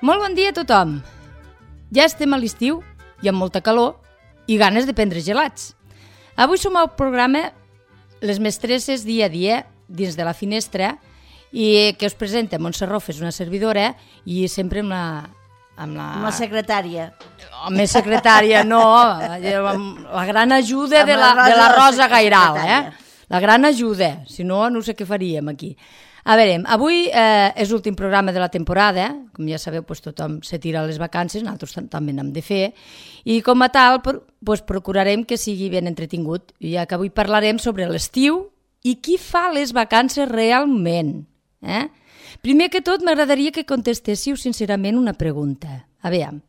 Molt bon dia a tothom. Ja estem a l'estiu i amb molta calor i ganes de prendre gelats. Avui som al programa Les Mestresses dia a dia dins de la finestra i que us presenta Montse Rofes, una servidora, i sempre amb la secretària. Home, secretària, no, amb la gran ajuda de la Rosa Gairal, La gran ajuda, si no, no sé què faríem aquí. A veure, avui és l'últim programa de la temporada, com ja sabeu, tothom se tira a les vacances, nosaltres també n'hem de fer, i com a tal procurarem que sigui ben entretingut, ja que avui parlarem sobre l'estiu i qui fa les vacances realment. Primer que tot, m'agradaria que contestéssiu sincerament una pregunta. A veure,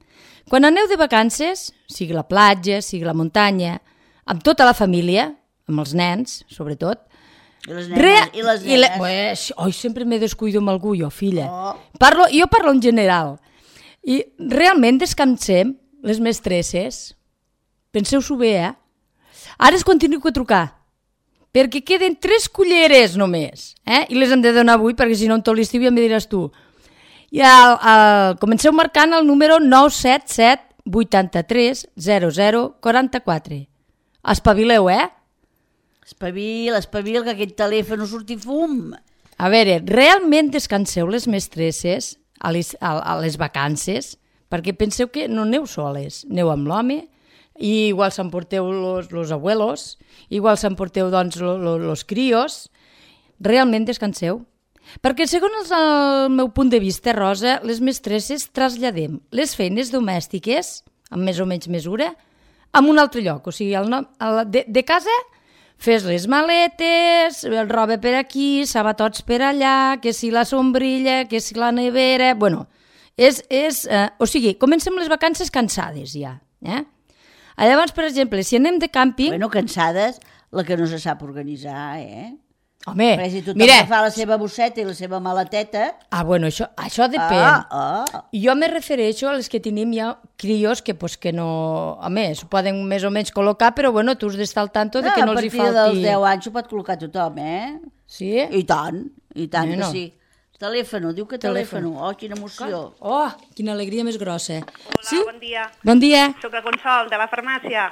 quan aneu de vacances, sigui la platja, sigui la muntanya, amb tota la família, amb els nens, sobretot, I les nenes. Sempre me descuido amb algú, jo, filla. Jo parlo en general. I realment descansem, les mestresses. Penseu-s'ho bé, Ara es continuo a trucar, perquè queden 3 culleres només, i les hem de donar avui, perquè si no en tot l'estiu ja em diràs tu. I comenceu marcant el número 977 83 00 44. Espavileu, Espavil, que aquest telèfon no surti fum. A veure, realment descanseu les mestresses a les vacances? Perquè penseu que no aneu soles, aneu amb l'home, i igual s'emporteu los abuelos, igual s'emporteu doncs los crios. Realment descanseu? Perquè segons el meu punt de vista, Rosa, les mestresses traslladem les feines domèstiques, amb més o menys mesura, a un altre lloc. O sigui, de casa fes les maletes, roba per aquí, sabatots per allà, que si la sombrilla, que si la nevera... Bueno, o sigui, comencem les vacances cansades ja. Llavors, per exemple, si anem de càmping... Bueno, cansades, la que no se sap organitzar, Home, perquè si tothom fa la seva bosseta i la seva maleteta... Bueno, això depèn. Jo me refereixo a les que tenim ja crios que no... Home, s'ho poden més o menys col·locar, però bueno, tu has d'estar al tanto de que no els hi falti... A partir dels 10 anys ho pot col·locar tothom, Sí? I tant que sí. Telèfon, diu que telèfon. Quina emoció. Quina alegria més grossa. Hola, bon dia. Bon dia. Soc la Consol, de la farmàcia.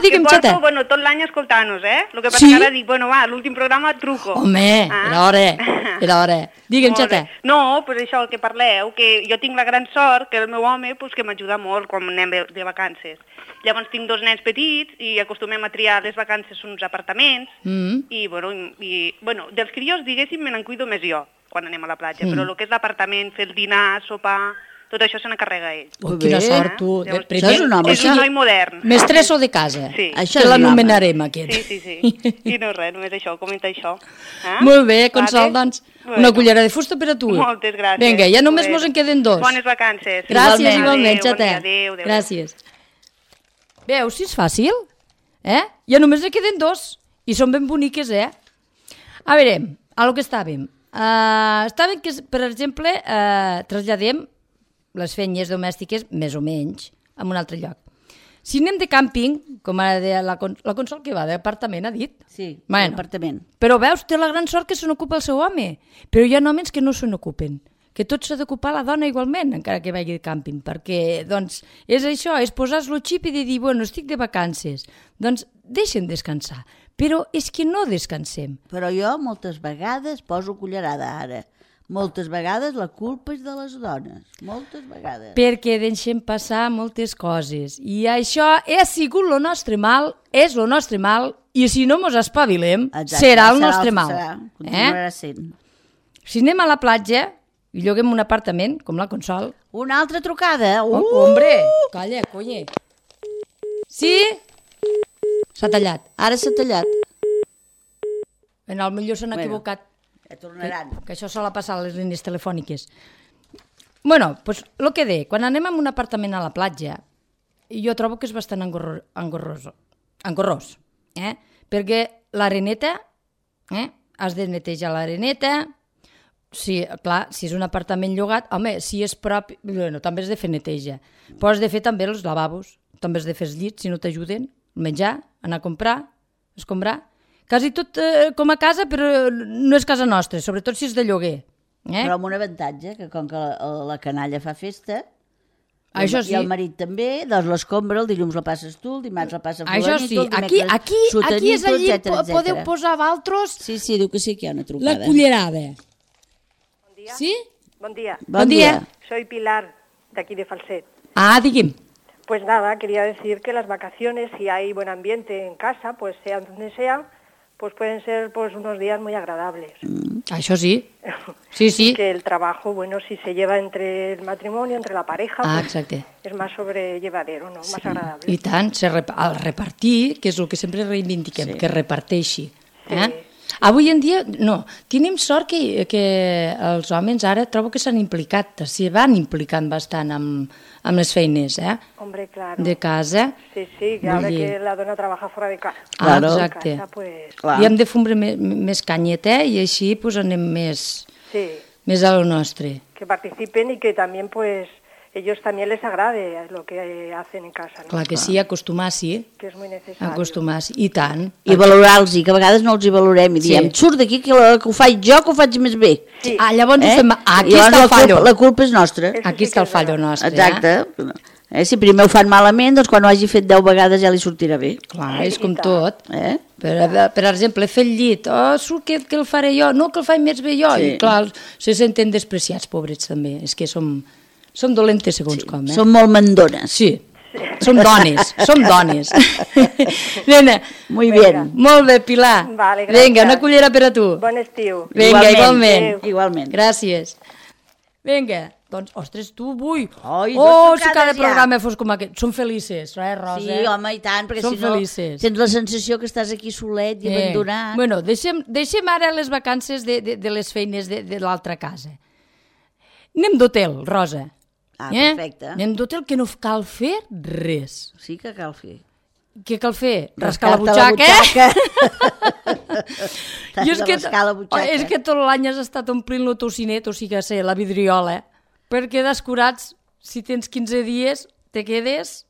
Digue'm, xata. Que porto, tot l'any escoltant-nos, El que passa que ara dic, l'últim programa et truco. Home, era hora. Digue'm, xata. No, això, el que parleu, que jo tinc la gran sort que el meu home que m'ajuda molt quan anem de vacances. Llavors tinc 2 nens petits i acostumem a triar les vacances uns apartaments i, dels crios, diguéssim, me n'encuido més jo quan anem a la platja, però el que és l'apartament, fer el dinar, sopar... Tot això se n'encarrega ell. Quina sort, tu. Això és un home. És un noi modern. Mestresso de casa. Sí. Això que l'anomenarem, aquest. Sí. I no res, només això, comenta això. Molt bé, Consol, doncs. Una cullera de fusta per a tu. Moltes gràcies. Vinga, ja només mos en queden 2. Bones vacances. Gràcies, igualment, xata. Adéu. Gràcies. Veus, si és fàcil? Ja només en queden 2. I són ben boniques, A veure, a lo que estàvem. Estàvem que, per exemple, traslladem les feines domèstiques, més o menys, a un altre lloc. Si anem de càmping, com ara de la Consol que va d'apartament, ha dit? Sí, d'apartament. Però veus, té la gran sort que se n'ocupa el seu home. Però hi ha homes que no se n'ocupen, que tot s'ha d'ocupar la dona igualment, encara que vagi de càmping, perquè, doncs, és això, és posar-lo xip i de dir, estic de vacances. Doncs deixen descansar. Però és que no descansem. Però jo moltes vegades poso cullerada ara. Moltes vegades la culpa és de les dones, moltes vegades. Perquè deixem passar moltes coses. I això ha sigut el nostre mal, és el nostre mal, i si no mos espavilem, serà el nostre mal. Continuarà sent. Si anem a la platja i lloguem un apartament, com la Consol... Una altra trucada! Hombre, calla, colle. Sí? S'ha tallat. Ara s'ha tallat. Potser s'han equivocat. Ja tornaran. Que això sol passar a les línies telefòniques. Doncs el que deia, quan anem a un apartament a la platja, jo trobo que és bastant engorrós, perquè l'areneta, has de netejar l'areneta, clar, si és un apartament llogat, home, si és propi, també has de fer neteja, però has de fer també els lavabos, també has de fer els llits, si no t'ajuden, menjar, anar a comprar, escombrar. Quasi tot com a casa, però no és casa nostra, sobretot si és de lloguer. Però amb un avantatge, que com que la canalla fa festa, Això sí. i el marit també, doncs l'escombra, el dilluns la passes tu, el dimarts la passa Això fulanito, sí, el dimecres aquí és allí, etcètera. podeu posar vosaltres Sí, diu que sí que hi ha una trucada. la cullerada. Bon dia. Sí? Buen día. Bon dia. Soy Pilar, de aquí de Falset. Ah, digui'm. Pues nada, quería decir que las vacaciones, si hay buen ambiente en casa, pues sea donde sea, pues pueden ser pues unos días muy agradables. Això sí. Sí. Que el trabajo, bueno, si se lleva entre el matrimonio, entre la pareja, Ah, pues exacte. es más sobrellevadero, ¿no? Más agradable. I tant, el repartir, que és el que sempre reivindiquem, que reparteixi. Avui en dia, no, tenim sort que els homes ara trobo que s'han implicat, s'hi van implicant bastant amb les feines, Hombre, claro. de casa. Sí, que ahora que la dona trabaja fuera de casa. Claro. En Exacte. casa, pues... Clar. I hem de fumbre més canyeta i així pues, anem més a lo nostre. Que participen y que también, pues, ellos también les agrade lo que hacen en casa, ¿no? Clar que sí, acostumar-s'hi, Que és muy necesario. acostumar-s'hi, i tant. I valorar-los, que a vegades no els hi valorem, i diem, surt d'aquí que ho faig jo, que ho faig més bé. Sí. Llavors ho fem... Aquí I està el fallo. La culpa és nostra. Eso Aquí sí està que el és fallo verdad. nostre. Exacte. Si primer ho fan malament, doncs quan ho hagi fet 10 vegades ja li sortirà bé. Clar, és com tot. Per exemple, fer el llit, surt que el faré jo, no que el faig més bé jo. Sí. I clar, se senten despreciats, pobrets també. És que som dolentes segons com. Som molt mandones. Sí, som dones, som dones. Nena, Muy bien. molt bé, Pilar. Vale, gràcies. Vinga, una cullera per a tu. Bon estiu. Vinga, igualment. Igualment. Gràcies. Vinga, doncs, ostres, tu avui... Ai, oh, dues si cada trucades ja. programa fos com aquest. Som felices, Rosa? Sí, home, i tant, perquè Som si no felices. tens la sensació que estàs aquí solet i abandonat. Bueno, deixem ara les vacances de les feines de l'altra casa. Anem d'hotel, Rosa. Ah, perfecte. Anem d'hotel que no cal fer res. Sí que cal fer. Què cal fer? Rascar la Rascar-te butxaca? T'has de rascar la butxaca. És que tot l'any has estat omplint el tocinet, o sigui, la vidriola, perquè descurats, si tens 15 dies, te quedes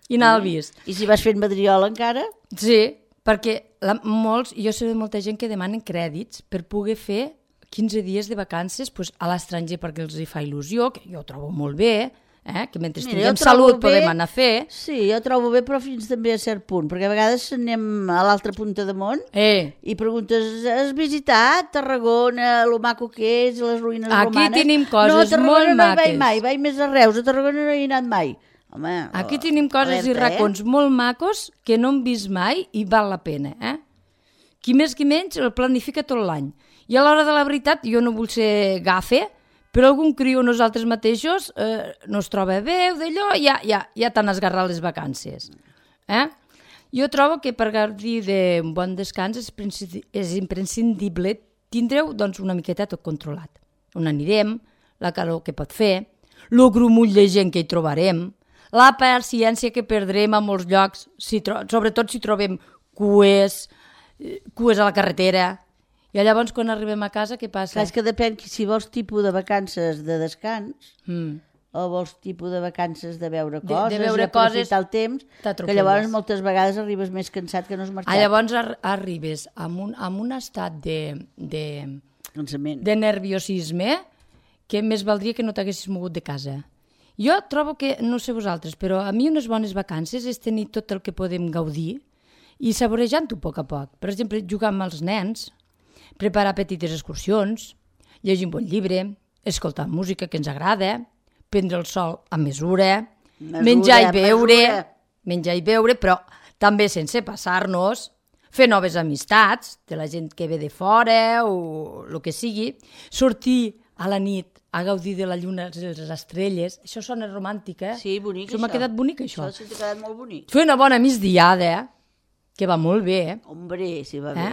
i n'ha vist. I si vas fent madriola encara? Sí, perquè jo sé de molta gent que demanen crèdits per poder fer 15 dies de vacances pues, a l'estranger perquè els hi fa il·lusió, que jo ho trobo molt bé, que mentre tinguem salut podem anar a fer. Sí, jo trobo bé, però fins també a cert punt, perquè a vegades anem a l'altra punta de món i preguntes, has visitat Tarragona, lo maco que és, les ruïnes romanes? Aquí tenim coses molt maques. No, a Tarragona no hi vaig mai, vaig més a Reus, a Tarragona no hi he anat mai. Home, aquí tenim coses i racons molt macos que no hem vist mai i val la pena. Qui més qui menys el planifica tot l'any. I a l'hora de la veritat, jo no vull ser gafe, però algun criu nosaltres mateixos no es troba bé o d'allò, ja t'han esgarrat les vacances. Jo trobo que per gaudir d'un bon descans és imprescindible tindreu doncs, una miqueta tot controlat. On anirem, la calor que pot fer, el grumull de gent que hi trobarem, la paciència que perdrem a molts llocs, sobretot si trobem cues a la carretera. I llavors, quan arribem a casa, què passa? Clar, és que depèn si vols tipus de vacances de descans o vols tipus de vacances de veure coses, de veure aprofitar el temps, que llavors t'atropelles. moltes vegades arribes més cansat que no has marxat. Llavors arribes amb un estat Cansament. de nerviosisme que més valdria que no t'haguessis mogut de casa. Jo trobo que, no sé vosaltres, però a mi unes bones vacances és tenir tot el que podem gaudir i saborejant-ho a poc a poc. Per exemple, jugar amb els nens, preparar petites excursions, llegir un bon llibre, escoltar música que ens agrada, prendre el sol a mesura, menjar i beure, però també sense passar-nos, fer noves amistats de la gent que ve de fora o el que sigui, sortir a la nit a gaudir de la lluna i les estrelles. Això sona romàntic, Sí, bonic, això. M'ha quedat bonic, això. Això sí que ha quedat molt bonic. Fer una bona migdiada, que va molt bé, Hombre, sí, va bé.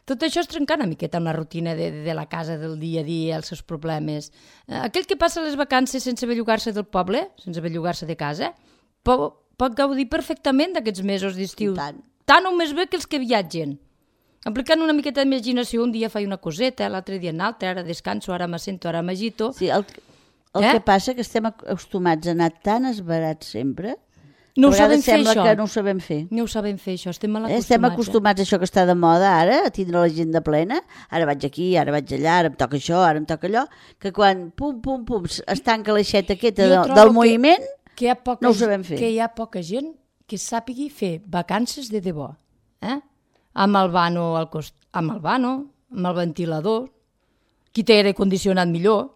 Tot això és trencar una miqueta una rutina de la casa, del dia a dia, els seus problemes. Aquell que passa les vacances sense bellugar-se del poble, sense bellugar-se de casa, pot gaudir perfectament d'aquests mesos d'estiu. Tant o més bé que els que viatgen. Aplicant una miqueta d'imaginació, un dia faig una coseta, l'altre dia una altra, ara descanso, ara m'assento, ara m'agito. Sí, el que passa que estem acostumats a anar tan esbarats sempre, No ho sabem fer, sembla això. que no ho sabem fer. No ho sabem fer, això. Estem mal acostumats. Estem acostumats a això que està de moda ara, a tindre l'agenda plena. Ara vaig aquí, ara vaig allà, ara em toca això, ara em toca allò. Que quan pum, es tanca l'aixeta aquesta del moviment, no ho sabem fer. Que hi ha poca gent que sàpigui fer vacances de debò. Amb el vano, amb el ventilador, qui té aire condicionat millor,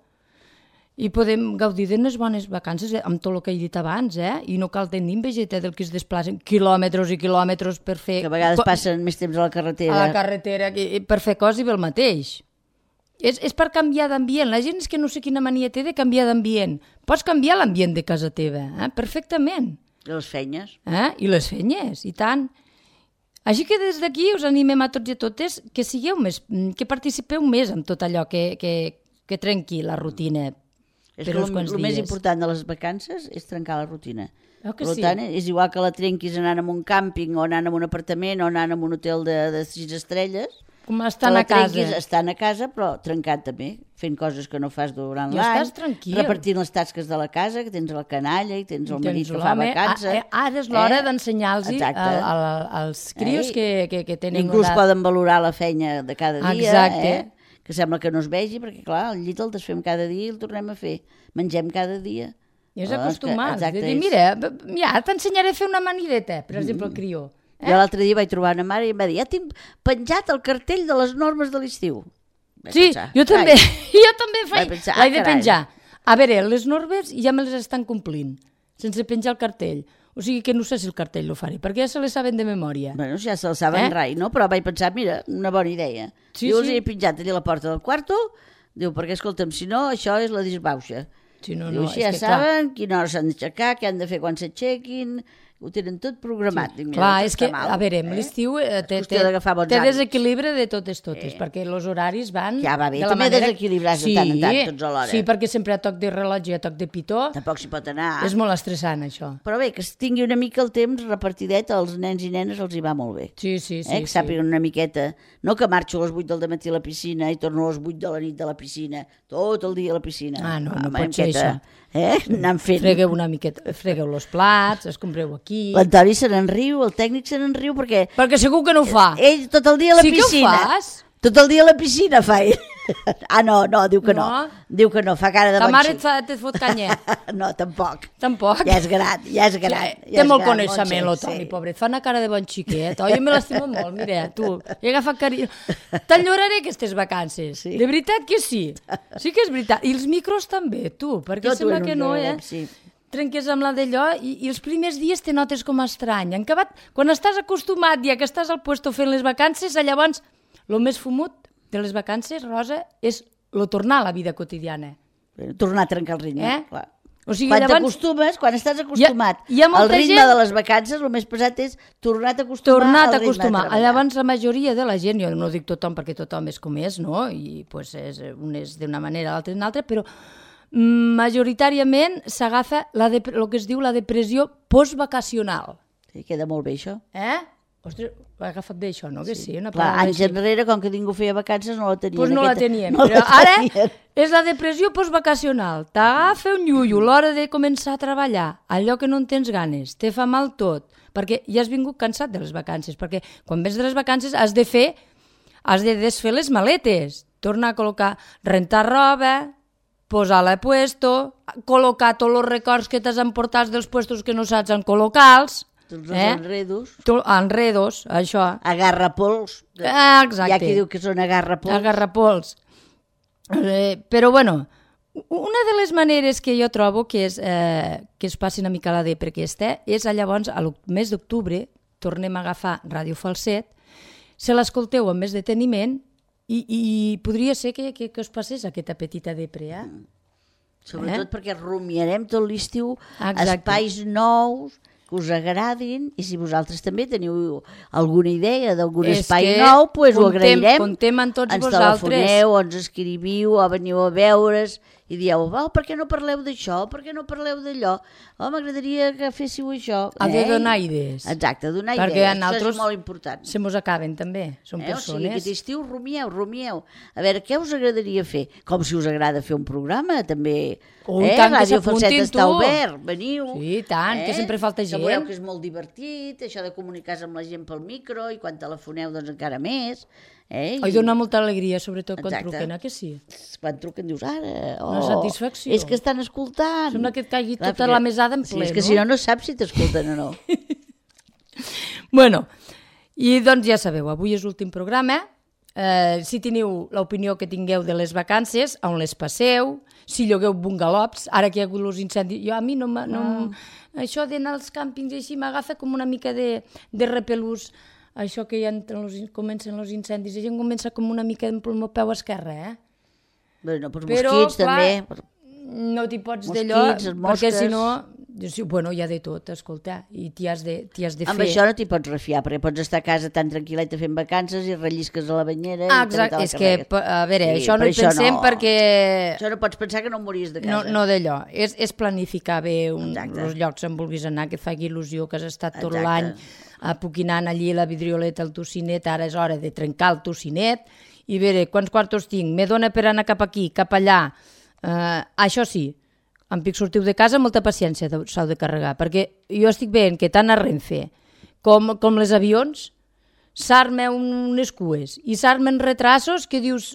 i podem gaudir d'unes bones vacances amb tot el que he dit abans, i no cal tenir envejeta del que es desplacen quilòmetres i quilòmetres per fer... Que a vegades passen més temps a la carretera. A la carretera, per fer coses i bé el mateix. És per canviar d'ambient. La gent és que no sé quina mania té de canviar d'ambient. Pots canviar l'ambient de casa teva, perfectament. I les feines. I les feines, i tant. Així que des d'aquí us animem a tots i a totes que sigueu més, que participeu més en tot allò que trenqui la rutina. És que el més important de les vacances és trencar la rutina. Per tant, és igual que la trenquis anant a un càmping o anant a un apartament o anant a un hotel de 6 estrelles. Com estan a casa. Estan a casa, però trencant també, fent coses que no fas durant l'any. Estàs tranquil. Repartint les tasques de la casa, que tens la canalla i tens el marit que fa vacances. Ara és l'hora d'ensenyar-los als crios que tenen... Inclús poden valorar la feina de cada dia. Exacte. Que sembla que no es vegi, perquè clar, el llit el desfem cada dia i el tornem a fer. Mengem cada dia. I és acostumat. De dir, mira, t'ensenyaré a fer una manideta, per exemple, el crió. Jo l'altre dia vaig trobar una mare i em va dir, ja tinc penjat el cartell de les normes de l'estiu. Sí, jo també l'he de penjar. A veure, les normes ja me les estan complint, sense penjar el cartell. O sigui que no sé si el cartell lo faré, perquè ja se les saben de memòria. Bueno, ja se les saben rai, no? Però vaig pensar, mira, una bona idea. Diu, els he penjat allà a la porta del quarto, diu, perquè escolta'm, si no, això és la disbauxa. Diu, així ja saben quina hora s'han d'aixecar, què han de fer quan s'aixequin, ho tenen tot programat. Sí. Clar, és que, a veure, l'estiu té desequilibre de totes, perquè els horaris van... Ja va bé, també desequilibrar-se de tant en tant, tots alhora. Sí, perquè sempre a toc de rellotge i a toc de pitó... Tampoc s'hi pot anar. És molt estressant, això. Però bé, que es tingui una mica el temps repartidet, als nens i nenes els hi va molt bé. Sí. Que sàpiguen una miqueta... No que marxo a les 8 del matí a la piscina i torno a les 8 de la nit de la piscina, tot el dia a la piscina. No pot ser això. Anant fent. Fregueu una miqueta, fregueu els plats, es compreu aquí... L'Antoni se n'enriu, el tècnic se n'enriu perquè... Perquè segur que no ho fa. Ell tot el dia a la piscina. Sí que ho fas? Tot el dia a la piscina fa ell. No, diu que no. Diu que no, fa cara de bon xic. Ta mare et fot canyet. No, tampoc. Tampoc? Ja és gran. Té molt coneixement, el Toni, pobret. Fa una cara de bon xiquet. Jo me l'estimo molt, mira, tu. He agafat carinyo. T'enlloraré aquestes vacances. De veritat que sí. Sí que és veritat. I els micros també, tu, perquè sembla que no, trenques amb la d'allò i els primers dies te notes com estrany. En acabat, quan estàs acostumat ja que estàs al puesto fent les vacances, llavors el més fumut de les vacances, Rosa, és tornar a la vida quotidiana. Tornar a trencar el ritme, clar. O sigui, quan estàs acostumat al ritme de les vacances, el més pesat és tornar-te a acostumar al ritme de treballar. Llavors la majoria de la gent, jo no dic tothom perquè tothom és com és, no? I un és d'una manera, l'altre d'una altra, però majoritàriament s'agafa el que es diu la depressió postvacacional. Sí, queda molt bé això. Ostres, ho he agafat bé això, no? Que sí, una clar, anys enrere, com que ningú feia vacances, no la teníem. Doncs no la teníem, però ara és la depressió postvacacional. T'agafa un llullo l'hora de començar a treballar, allò que no en tens ganes, te fa mal tot, perquè ja has vingut cansat de les vacances, perquè quan vens de les vacances has de desfer les maletes, tornar a col·locar, rentar roba, posar-la a puesto, col·locar tots els records que t'has emportat dels puestos que no saps en col·locar-los, tots els enredos. Enredos, això. Agarrapols. Exacte. Hi ha qui diu que són agarrapols. Agarrapols. Però, bueno, una de les maneres que jo trobo que es passi una mica la depre aquesta és llavors, al mes d'octubre, tornem a agafar Ràdio Falset, se l'escolteu amb més deteniment i podria ser que us passés aquesta petita depre, Sobretot perquè rumiarem tot l'estiu espais nous que us agradin, i si vosaltres també teniu alguna idea d'algun espai nou, doncs ho agrairem. Contem amb tots ens vosaltres. Ens telefoneu, o ens escriviu, o veniu a veure's, i dieu, per què no parleu d'això, per què no parleu d'allò? M'agradaria que féssiu això. Ha de donar idees. Exacte, donar idees. Perquè en altres és molt important. se mos acaben també, són persones. O sigui, aquest estiu rumieu. A veure, què us agradaria fer? Com si us agrada fer un programa, també. Tant que Ràdio Falset s'apuntin, està tu. obert, veniu. Sí, tant, que sempre falta gent. Que veureu que és molt divertit, això de comunicar-se amb la gent pel micro, i quan telefoneu, doncs encara més. I dona molta alegria, sobretot quan truquen, que sí? Quan truquen dius, ara, una satisfacció. És que estan escoltant. Sembla que et caigui tota la mesada en ple, és que si no saps si t'escolten o no. Bueno, i doncs ja sabeu, avui és l'últim programa. Si teniu l'opinió que tingueu de les vacances, on les passeu, si llogueu bungalows, ara que hi ha hagut els incendis, a mi no això d'anar als càmpings així m'agafa com una mica de repelús. Això que ja comencen els incendis, la gent comença com una mica amb el meu peu esquerre, Bueno, però mosquits també. No t'hi pots d'allò, perquè si no, bueno, hi ha de tot, escolta, i t'hi has de fer. Amb això no t'hi pots refiar, perquè pots estar a casa tan tranquil·leta fent vacances i rellisques a la banyera. Exacte, és que, a veure, això no hi pensem perquè... Això no pots pensar que no mories de casa. No d'allò, és planificar bé els llocs on vulguis anar, que et faci il·lusió, que has estat tot l'any apoquinant allí la vidrioleta, el tocinet, ara és hora de trencar el tocinet, i veure quants quartos tinc, me dona per anar cap aquí, cap allà. Això sí, em pic sortiu de casa, molta paciència s'heu de carregar, perquè jo estic veient que tant a Renfe com les avions s'armen unes cues i s'armen retrasos que dius,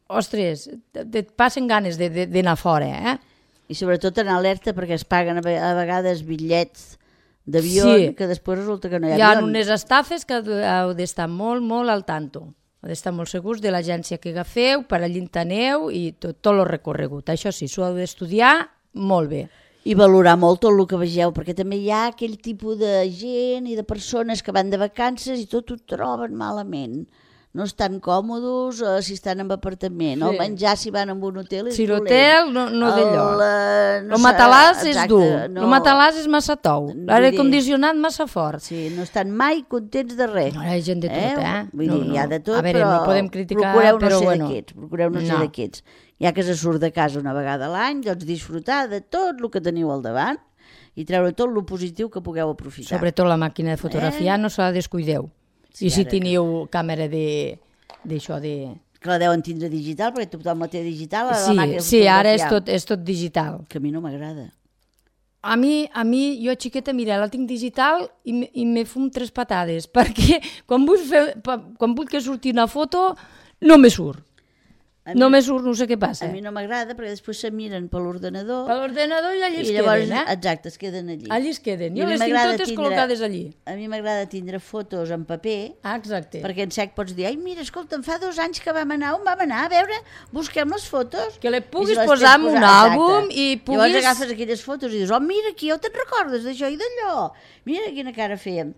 ostres, et passen ganes d'anar fora, I sobretot en alerta perquè es paguen a vegades bitllets d'avió, que després resulta que no hi ha avions. Hi ha unes estafes que heu d'estar molt, molt al tanto. Heu d'estar molt segurs de l'agència que agafeu, per allí aneu i tot el recorregut. Això sí, s'ho heu d'estudiar molt bé. I valorar molt tot el que vegeu, perquè també hi ha aquell tipus de gent i de persones que van de vacances i tot ho troben malament. No estan còmodes si estan en apartament. El menjar si van en un hotel és dolent. Si l'hotel no d'allò. El matalàs és dur. El matalàs és massa tou. L'aire condicionat massa fort. Sí, no estan mai contents de res. No, hi ha gent de tot, Vull dir, hi ha de tot, però no podem criticar, procureu no ser d'aquests. Ja que se surt de casa una vegada a l'any, doncs disfrutar de tot el que teniu al davant i treure tot el positiu que pugueu aprofitar. Sobretot la màquina de fotografiar no se la descuideu. Sí, I si teniu càmera d'això de... Que la deuen tindre digital, perquè tothom la té digital. Sí, ara és tot digital. Que a mi no m'agrada. A mi, jo xiqueta, mira, la tinc digital i me fum 3 patades, perquè quan vull que surti una foto no me surt. No me surt, no sé què passa. A mi no m'agrada perquè després se miren per l'ordenador. Per l'ordenador i allí es queden, Exacte, es queden allí. Allí es queden. Jo les tinc totes col·locades allí. A mi m'agrada tindre fotos en paper. Exacte. Perquè en sec pots dir, ai, mira, escolta, fa 2 anys que vam anar, on vam anar? A veure, busquem les fotos. Que les puguis posar en un àlbum i puguis... Llavors agafes aquelles fotos i dius, mira, aquí ja te'n recordes d'això i d'allò. Mira quina cara fèiem.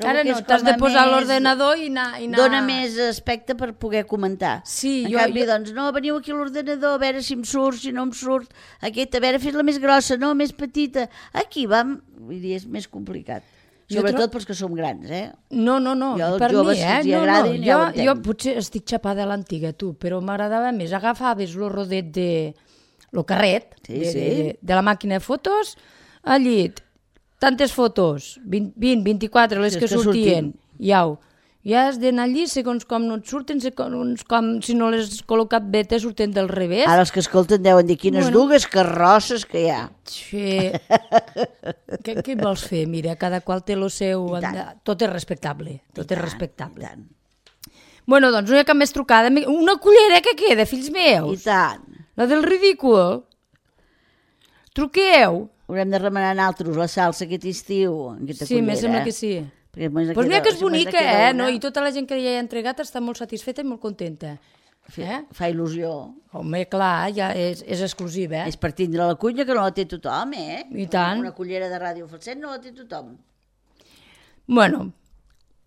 Ara no, t'has de posar a l'ordenador i anar... Dona més aspecte per poder comentar. Sí, en canvi, doncs, no, veniu aquí a l'ordenador a veure si em surt, si no em surt. Aquesta, a veure, fes-la més grossa, no, més petita. Aquí vam... Vull dir, és més complicat. Sobretot pels que som grans, No, jo, per mi, jo potser estic xapada a l'antiga, tu, però m'agradava més. Agafaves el rodet el carret de la màquina de fotos, allí... Tantes fotos, 20, 24, les que sortien, ja has d'anar allí, segons com no et surten, segons com, si no les has col·locat bé, te surten del revés. Ara els que escolten deuen dir quines dugues carrosses que hi ha. Sí. Què vols fer? Mira, cada qual té el seu... Tot és respectable, tot és respectable. Bueno, doncs no hi ha cap més trucada. Una cullera que queda, fills meus. I tant. La del ridícul. Truqueu. Haurem de remenar nosaltres la salsa aquest estiu. Sí, me sembla que sí. Doncs mira que és bonica, no? I tota la gent que ja hi ha entregat està molt satisfeta i molt contenta. Fa il·lusió. Home, clar, ja és exclusiva. És per tindre la cuina que no la té tothom, I tant. Una cullera de Ràdio Falset no la té tothom. Bueno,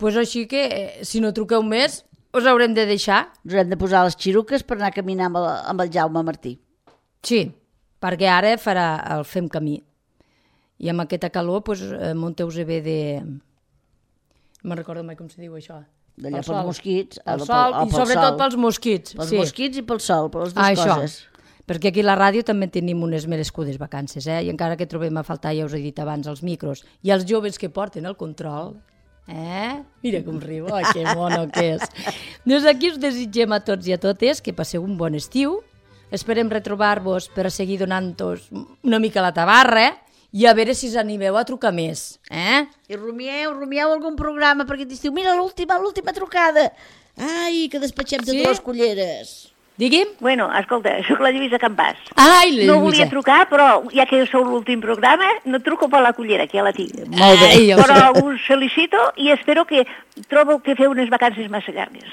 doncs així que, si no truqueu més, us haurem de deixar. Us haurem de posar les xiruques per anar a caminar amb el Jaume Martí. Sí, perquè ara farà el Fem Camí. I amb aquesta calor, doncs, munteu-se bé de... No me'n recordo mai com se diu això. D'allà pels mosquits. Pel sol, i sobretot pels mosquits. Pels mosquits i pel sol, per les dues coses. perquè aquí a la ràdio també tenim unes merescudes vacances, i encara que trobem a faltar, ja us he dit abans, els micros, i els joves que porten el control, mira com riu, que mono que és. Doncs aquí us desitgem a tots i a totes que passeu un bon estiu, esperem retrobar-vos per a seguir donant-vos una mica la tabarra, i a veure si us animeu a trucar més. I rumieu algun programa perquè t'estiu, mira l'última trucada. Ai, que despatxem totes les culleres. Digui'm. Bueno, escolta, soc la Lluïsa Campàs. Ai, la Lluïsa. No volia trucar, però ja que sou l'últim programa, no truco per la cullera, que ja la tinc. Molt bé. Però us felicito i espero que trobo que feu unes vacances massa llargues.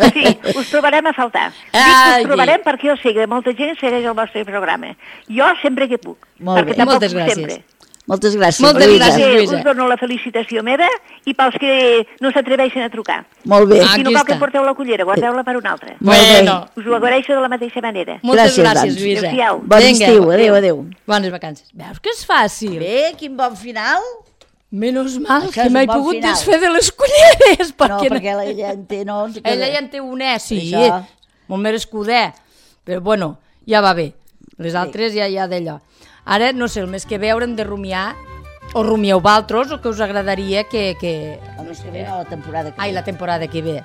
Sí, us trobarem a faltar. Us trobarem perquè jo sé que molta gent segueix el vostre programa. Jo sempre que puc. Molt bé, moltes gràcies. Sempre. Moltes gràcies, Lluïsa. Us dono la felicitació meva i pels que no s'atreveixen a trucar. Molt bé. Si no cal que porteu la cullera, guardeu-la per una altra. Bueno. Us ho agraeixo de la mateixa manera. Moltes gràcies, Lluïsa. Bon estiu, adéu. Bones vacances. Veus que és fàcil? Bé, quin bon final. Menos mal Això que m'he pogut desfer de les culleres. No, perquè ella en té, no? Ella ja en té un sí, molt merescuder. Però bueno, ja va bé. Les altres ja d'allò. Ara, no sé, el mes que ve haurem de rumiar, o rumieu vosaltres, o que us agradaria que... El mes que ve no, la temporada que ve. Ai, la temporada que ve.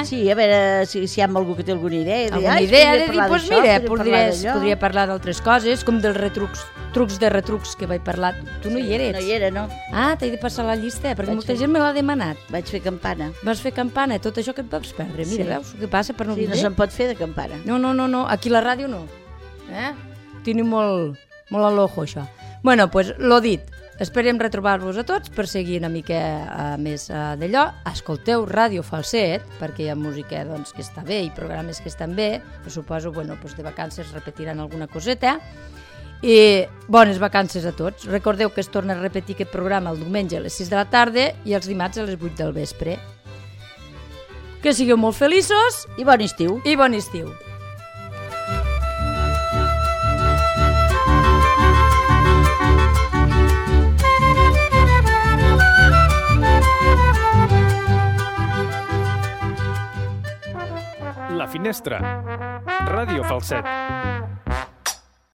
Sí, a veure si hi ha algú que té alguna idea. Alguna idea de dir, doncs mira, podria parlar d'altres coses, com dels trucs de retrucs que vaig parlar. Tu no hi eres? No hi era, no. Ah, t'he de passar la llista, perquè molta gent me l'ha demanat. Vaig fer campana. Vas fer campana, tot això que et vas perdre. Mira, veus què passa per no vindre? Sí, no se'n pot fer de campana. No, aquí a la ràdio no. Tenim molt a l'ojo, això. Bueno, doncs, lo dit, esperem retrobar-vos a tots per seguir una mica més d'allò. Escolteu Ràdio Falset, perquè hi ha música que està bé i programes que estan bé. Suposo, de vacances repetiran alguna coseta. I bones vacances a tots. Recordeu que es torna a repetir aquest programa el diumenge a les 6 de la tarda i els dimarts a les 8 del vespre. Que sigueu molt feliços. I bon estiu. I bon estiu. La Finestra. Ràdio Falset.